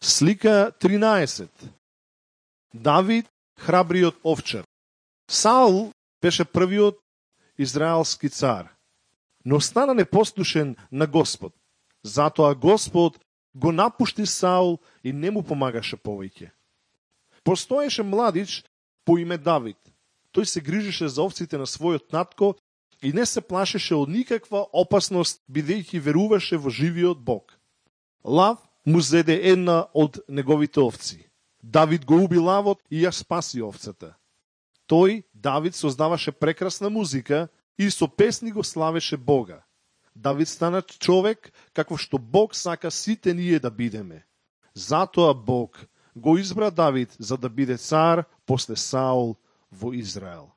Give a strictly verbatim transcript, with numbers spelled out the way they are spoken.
Слика тринаесет. Давид, храбриот овчар. Саул беше првиот израелски цар, но стана непослушен на Господ. Затоа Господ го напушти Саул и не му помагаше повеќе. Постоеше младич по име Давид. Тој се грижеше за овците на својот татко и не се плашеше од никаква опасност, бидејќи веруваше во живиот Бог. Лав му зеде една од неговите овци. Давид го уби лавот и ја спаси овцата. Тој, Давид, создаваше прекрасна музика и со песни го славеше Бога. Давид стана човек како што Бог сака сите ние да бидеме. Затоа Бог го избра Давид за да биде цар после Саул во Израел.